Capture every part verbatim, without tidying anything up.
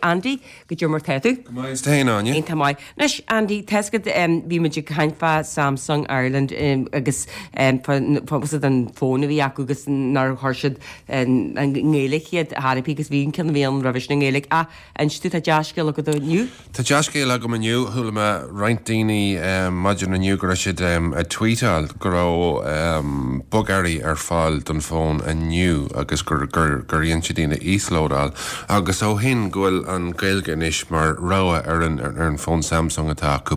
Andy, goidé mar tá tú? Go maith is tú féin, Áine. Iontach maith. Anois, Andy, tá 'fhios agat bhí muid ag caint fá Samsung Ireland agus fá an fón a bhí acu agus nár chuir siad an nGaeilge chéad thairfí agus bhí an ceann a bhí ann roimhe sin i nGaeilge. Ach inis tú, tá dea-scéal agat inniu? Tá dea-scéal agam inniu. Chuala mé roinnt daoine maidin inniu go raibh siad ag tweetáil go raibh bogearraí ar fáil don fón inniu agus gur gur dhein siad iad a íoslódáil agus ó shin go bhfuil an Ghaeilge anois mar rogha ar an ar an fón Samsung atá acu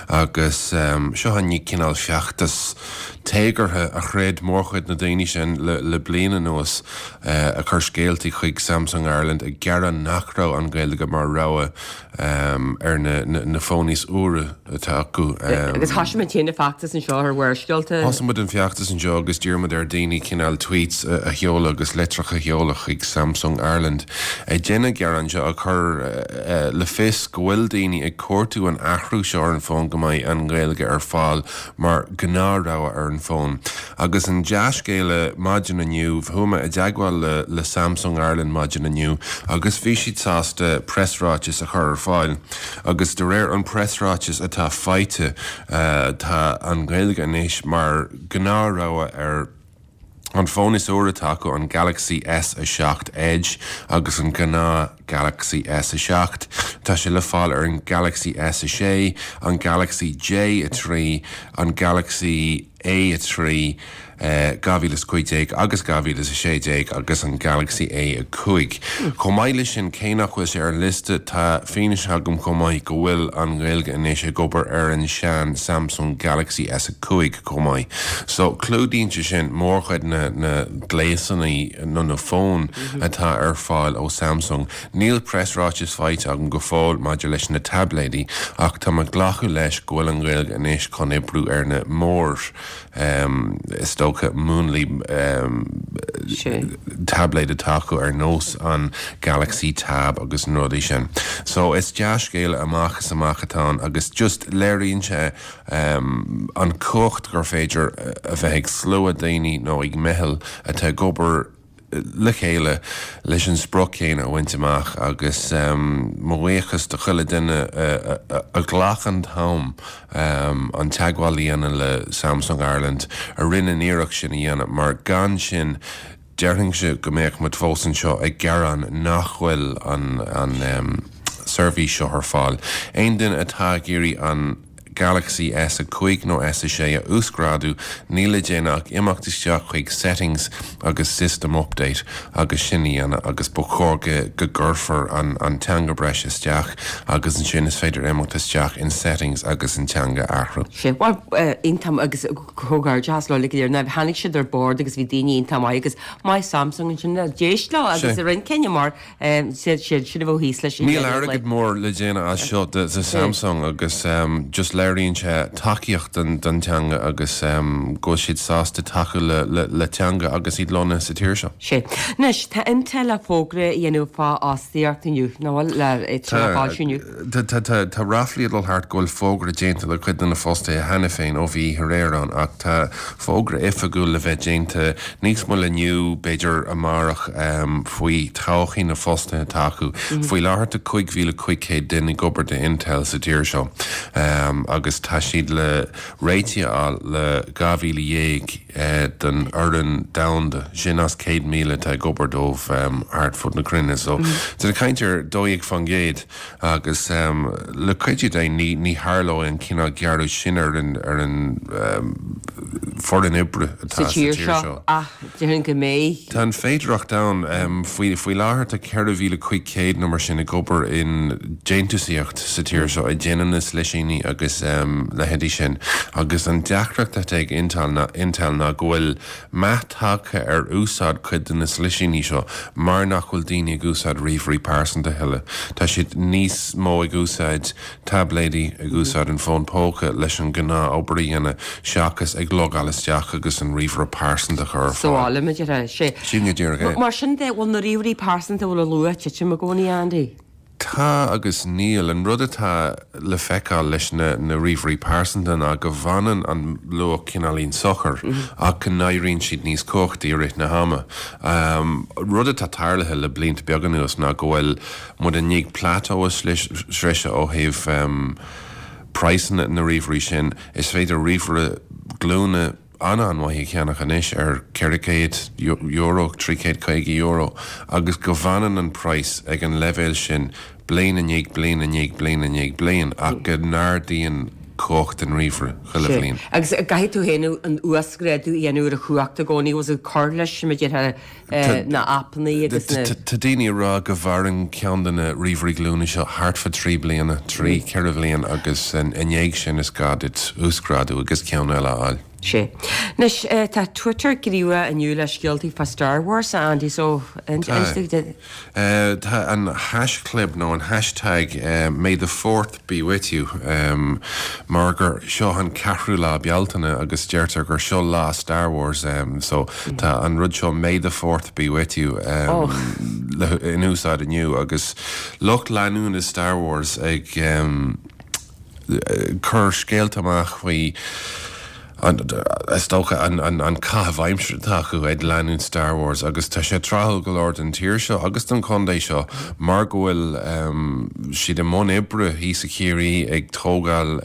agus seo an cineál feachtas téagartha a throid mórchuid na daoine sin le le bliain anuas a chur scéaltaí chuig Samsung Ireland ag gearán nach raibh an Ghaeilge mar rogha ar na na fóin is úire atá acu. Agus thosaigh muid féin an feachtas anseo ar Bharrscéalta. Thosaigh muid an feachtas anseo agus d'iarr muid ar daoine cineál tweets a sheoladh agus litreacha a sheoladh chuig Samsung Ireland ag déanamh gearán seo a chur le fios go bhfuil daoine ag cuartú an athrú seo ar an bhfón go mbeidh an Ghaeilge ar fáil mar gnáth-rogha ar an bhfón. Agus an dea-scéala maidin inniu, chuaigh mé i dteagmháil le le Samsung Ireland maidin inniu agus bhí siad sásta preasráiteas a chur ar fáil agus de réir an preasráiteas atá faighte tá an Ghaeilge anois mar gnáth-rogha ar an fón is úire atá acu, an Galaxy S a seacht Edge agus an gnáth Galaxy S a seacht. Tá sé le fáil ar an Galaxy S a sé, an Galaxy J a trí, an Galaxy A a trí, dhá mhíle is cúig déag agus dhá mhíle is a sé déag agus an Galaxy A a cúig. Chomh maith leis sin, cé nach bhfuil sé ar an liosta, tá fianaise agam chomh maith go bhfuil an Ghaeilge anois ag obair ar an sean Samsung Galaxy S a cúig chomh maith. So, clúdaíonn sé sin mórchuid na na gléasanna nó na fóin atá ar fáil ó Samsung. Níl preasráiteas faighte agam go fóill maidir leis na taibléidí ach tá mé ag glacadh leis go bhfuil an Ghaeilge anois chun oibriú ar na mór is dócha múnlaí taibléid atá acu ar nós an Galaxy Tab agus na rudaí sin. So is dea-scéala amach is amach atá ann agus just léiríonn sé an cumhacht gur féidir a bheith ag slua daoine nó ag meitheal atá ag obair le chéile leis an sprioc chéanna a bhaint amach agus mo bhuíochas do chuile duine a ghlac an t-am an teagmháil a dhéanamh le Samsung Ireland a rinne an iarracht sin a dhéanamh mar gan sin déarfainnse go mbeadh muid fós anseo ag gearán nach bhfuil an an seirbhís seo ar fáil. Aon duine atá ag iarraidh an Galaxy S a cúig nó S a sé a uasghrádú, níl le déanamh ach imeacht isteach chuig Settings agus System Update agus sin a dhéanamh agus ba chóir go go gcuirfear an an teanga breise isteach agus ansin is féidir imeacht isteach in Settings agus an teanga a athrú. Sea, bhuel, iontach agus comhghairdeas leo uilig go léir. Now, tháinig siad ar bord agus bhí daoine iontach maith agus maith Samsung ansin d'éist leo agus a rinne cinneadh mar siad sin a bheadh thíos leis. Níl airgead mór le déanamh as seo do Samsung agus just léiríonn sé tacaíocht don teanga agus go bhfuil siad sásta tacú le teanga agus iad lonnaithe sa tír seo. Sea. Anois, tá Intel le fógra a dhéanamh fá fhostaíocht inniu, nach bhfuil, le foilsiú inniu. Tá, tá, tá ráflaí ag dul thart go bhfuil fógra déanta le cuid de na fostaithe cheana féin ó bhí oíche aréir ann ach tá fógra oifigiúil le bheith déanta níos moille inniu, b'fhéidir amárach, faoi todhchaí na bhfostaithe atá acu. Faoi láthair tá cúig mhíle cúig chéad duine ag obair do Intel sa tír seo agus tá siad le réitigh a fháil le dhá mhíle dhéag den fhoireann domhanda, sin as céad míle atá ag obair dóibh thart fud na cruinne. So tá caint ar dó dhéag faoin gcéad agus le cuidiú Dé ní ní tharlóidh an cineál gearradh sin ar an ar an foireann oibre atá sa tír seo. Ach déarfainn go mbeidh. Tá an féidearthacht ann. Faoi faoi láthair tá ceithre mhíle cúig chéad nó mar sin ag obair in déantúsaíocht sa tír seo, ag déanamh na slisíní agus leithéidí sin. Agus an deacracht atá ag Intel ná Intel ná go bhfuil meath tagtha ar úsáid cuid de na slisíní seo mar nach bhfuil daoine ag úsáid ríomhairí pearsanta a thuilleadh. Tá siad níos mó ag úsáid taibléidí, ag úsáid an fón póca leis an gnáth-obair a dhéanamh seachas ag logáil isteach agus an ríomhaire pearsanta a chur ar fáil. Sa bhaile, mar a déarfá. Sin go díreach é. Mar sin de, bhfuil na ríomhairí pearsanta a bhfuil a luach ag titim i gcónaí, Andy? Tá agus níl. An rud atá le feiceáil leis na, na ríomhairí pearsanta ná go bhfanann an luach cineáilín socair mm -hmm. ach go n-éiríonn siad níos cumhachtaí i rith na hama. Um, rud atá tarlaithe le blianta beaga anuas ná go bhfuil muid i ndiaidh plateau a sroicheadh ó thaobh um, praghsanna na ríomhairí sin. Is féidir ríomhaire glúine an-an-mhaith a cheannach anois ar ceithre chéad euro, trí chéad caoga euro, agus go bhfanann an praghas ag an leibhéal sin bliain i ndiaidh bliain i ndiaidh bliain i ndiaidh bliain, ach go n-ardaíonn cumhacht an ríomhaire chuile bhliain. Agus caithfidh tú féin an uasghrádú a dhéanamh ar a chumhacht i gcónaí, was ag cur leis mar déarfá na aipeanna agus na. Tá daoine ag rá go mhaireann ceann de na ríomhairí glúine seo thart fá trí bliana, trí, ceithre bhliain agus i ndiaidh sin is gá duit uasghrádú agus ceann eile a fháil. Sé. Anois, tá Twitter gníomhach inniu le scéaltaí fá Star Wars, a Andy, so Tá. Tá an haischlib nó an hashtag May the Fourth be with you mar gur seo an ceathrú lá Bealtaine agus deirtear gur seo lá Star Wars so tá an rud seo May the Fourth be with you in úsáid inniu agus lucht leanúna Star Wars ag cur scéalta amach faoi is dócha an caitheamh aimsire atá acu ag leanúint Star Wars agus tá sé tráthúil go leor don tír seo agus don chontae seo mar go bhfuil siad i mbun oibre thíos i Ciarraí ag tógáil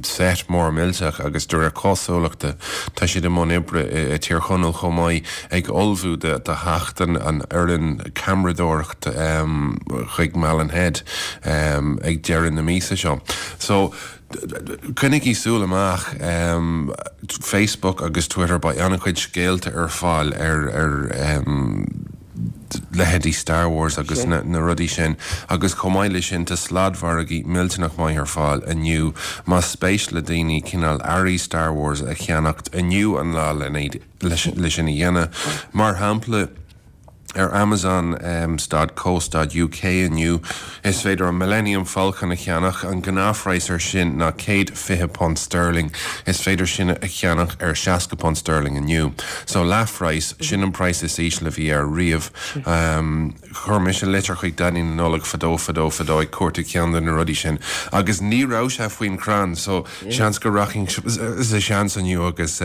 set mór millteach agus de réir cosúlachta tá siad i mbun oibre i Tír Chonaill chomh maith ag ullmhú do theacht an fhoireann ceamaradóireacht chuig Malin Head ag deireadh na míosa seo. So coinnigí súil amach, Facebook agus Twitter, beidh an-chuid scéalta ar fáil ar ar leithéidí Star Wars agus na na rudaí sin agus chomh maith leis sin tá sladmhargaí millteanach maith ar fáil inniu más spéis le daoine cineál earraí Star Wars a cheannacht inniu an lá le sin a dhéanamh. Mar shampla. Ar Amazon dot co dot uk inniu, is féidir an Millennium Falcon a cheannach, an gnáthphraghas air sin ná céad fiche punt sterling, is féidir sin a cheannach ar seasca punt sterling inniu. So leathphraghas, sin an praghas is ísle a bhí air riamh. Chuir mise litir chuig Daidí na Nollag fadó fadó fadó ag cuartú ceann de na rudaí sin agus ní raibh sé faoin chrann so seans go rachainn sa seans inniu agus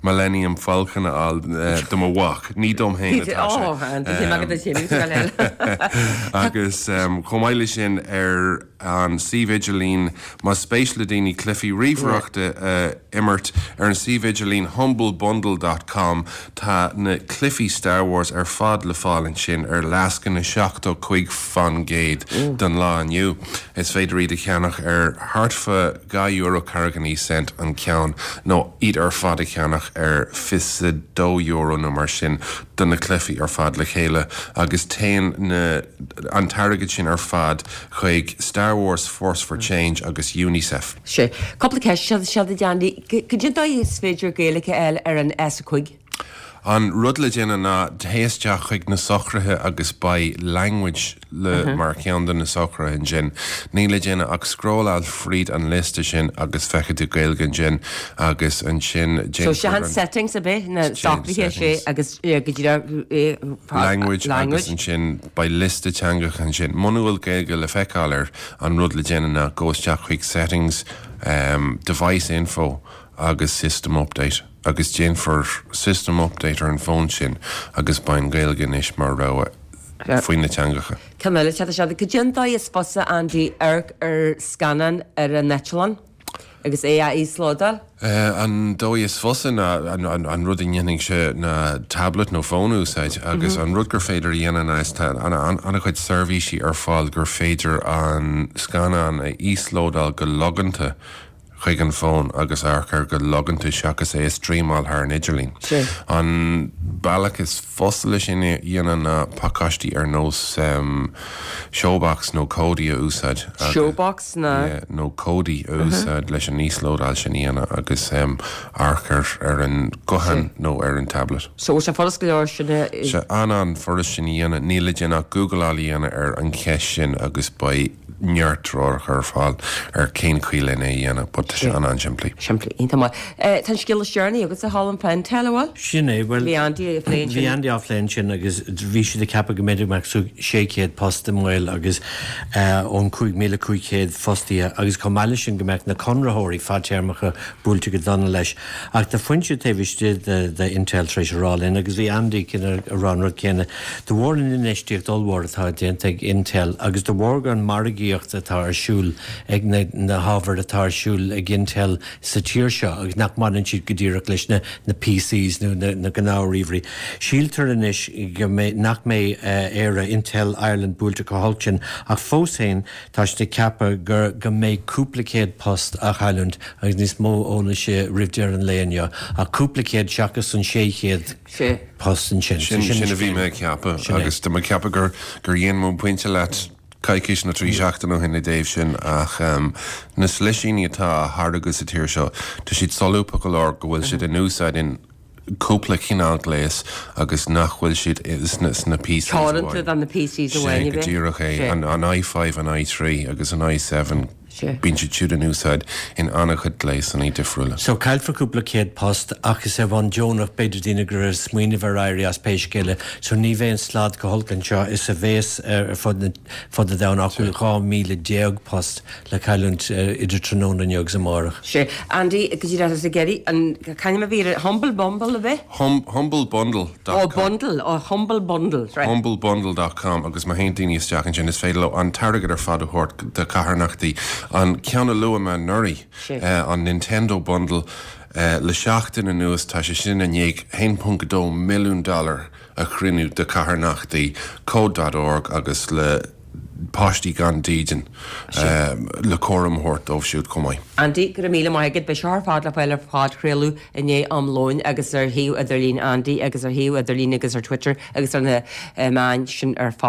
Millennium Falcon a fháil do mo mhac, ní dom féin atá sé. Agus chomh maith leis sin ar an suíomh idirlín, más spéis le daoine cluichí ríomhaireachta a imirt, ar an suíomh idirlín humble bundle dot com tá na cluichí Star Wars ar fad le fáil ansin ar lascaine seachtó cúig faoin gcéad don lá inniu. Is féidir iad a cheannach ar thart fá dhá euro ceathracha naoi cent an ceann nó iad ar fad a cheannach ar fiche dó euro nó mar sin do na cluichí ar fad le chéile agus téann na an t-airgead sin ar fad chuig Star Wars Force for Change agus Unicef. Sé. Cúpla ceist seo duit Andy. Cad é an dóigh is féidir Gaeilge a fháil ar an S a cúig? An rud le déanamh ná téigh isteach chuig na socruithe agus beidh language le mar cheann de na socruithe ansin. Níl le déanamh ach scrolláil fríd an liosta sin agus feicfidh tú Gaeilge ansin agus ansin So sé an settings ab ea? Na socruithe sé agus go díreach Language agus ansin beidh liosta teangacha ansin. Muna bhfuil Gaeilge le feiceáil air, an rud le déanamh ná gabh isteach chuig settings, device info agus system update agus déanfar system update ar an bhfón sin agus beidh an Ghaeilge anois mar rogha faoi na teangacha. Ceann eile, sea, sea, cad é an dóigh is fusa, Andy, amharc ar scannán ar an eitleán agus é a íoslódáil? An dóigh is fusa ná an rud a ndéanfainnse ná tablet nó fón a úsáid agus an rud gur féidir a dhéanamh ná is tá an-chuid seirbhísí ar fáil gur féidir an scannán a íoslódáil go loganta chuig an bhfón agus amharc air go loganta seachas é a streamáil thar an idirlíon. An bealach is fusa le sin a dhéanamh ná pacáistí ar nós Showbox nó Kodi a úsáid. Showbox ná? Nó Kodi a úsáid leis an íoslódáil sin a dhéanamh agus amharc air ar an guthán nó ar an tablet. So bhfuil sé furast go leor sin a. Sé an-an-fhurast sin a dhéanamh. Níl le déanamh ach Googleáil a dhéanamh ar an cheist sin agus beidh neart treoracha ar fáil ar cén chaoi lena é dhéanamh, but tá sé an-an-simplí. Simplí, iontach maith. Tá an scéal is deireanaí agatsa a Cholm fá Intel, an bhfuil? Sin é, bhuel, Bhí Andy ag plé ansin. Bhí Andy á phlé ansin agus bhí siad ag ceapadh go mb'fhéidir go mbeadh sé chéad post i mbaol agus ón cúig míle cúig chéad fostaithe agus chomh maith leis sin go mbeadh na conraitheoirí fadtéarmacha buailte go dona leis. Ach tá foinse taobh istigh de de Intel tar éis a rá linn agus bhí Andy ag rá an rud céanna, de bharr an infheistíocht ollmhór atá déanta ag Intel agus de bharr an margaíocht atá ar siúl ag na na hábhair atá ar siúl ag Intel sa tír seo agus nach mbaineann siad go díreach leis na na PCs nó na na gnáth-ríomhairí. Síltear anois go mbeidh nach mbeidh Éire, Intel Ireland buailte chomh holc sin ach fós féin tá siad ag ceapadh gur go mbeidh cúpla céad post á chailliúint agus níos mó eolais roimh deireadh an lae inniu ach cúpla céad seachas an sé chéad post ansin. Sin sin a bhí mé ag ceapadh agus tá mé ag ceapadh gur gur dhein mé pointe leat coicís nó trí seachtaine ó shin i dtaobh sin ach na slisíní atá á tháirgeadh sa tír seo tá siad solúbtha go leor go bhfuil siad in úsáid in cúpla cineál gléas agus nach bhfuil siad sna sna PCs amháin. Teoranta do na PCs amháin a bheith. Go díreach é. An an i five, an i three agus an i seven, bíonn siad siúd in úsáid in an-chuid gléasanna difriúla. So caillfear cúpla céad post ach is ar bhonn deonach, b'fhéidir daoine go raibh ag smaoineamh ar éirí as pé scéal é. So ní bheidh an slad chomh holc anseo is a bhéas ar fud na fud an domhain ach bhfuil dhá míle déag post le cailliúint idir tráthnóna inniu agus amárach. Sea. Andy, go dtí raibh ag iarraidh an c'ainm a bhí ar Humble Bumble a bheith? Hum, Humble Bundle dot Oh, com. Bundle, oh, Humble Bundle, right. Humble Bundle dot com agus má théann daoine isteach ansin is féidir leo an t-airgead ar fad a thabhairt do carthanachtaí. An ceann a luaigh mé anuraidh, Sea. an Nintendo Bundle, le seachtain anuas tá sé sin i ndiaidh haon ponc dó milliún dollar a chruinniú do carthanachtaí, Code dot org agus le páistí gan dídean le cúram a thabhairt dóibh siúd chomh maith. Andy, go raibh míle maith agat. Beidh seo ar fad le fáil ar phodchraoladh i ndiaidh am lóin agus ar shuíomh idirlín Andy agus ar shuíomh idirlín agus ar Twitter agus ar na meáin sin ar fad.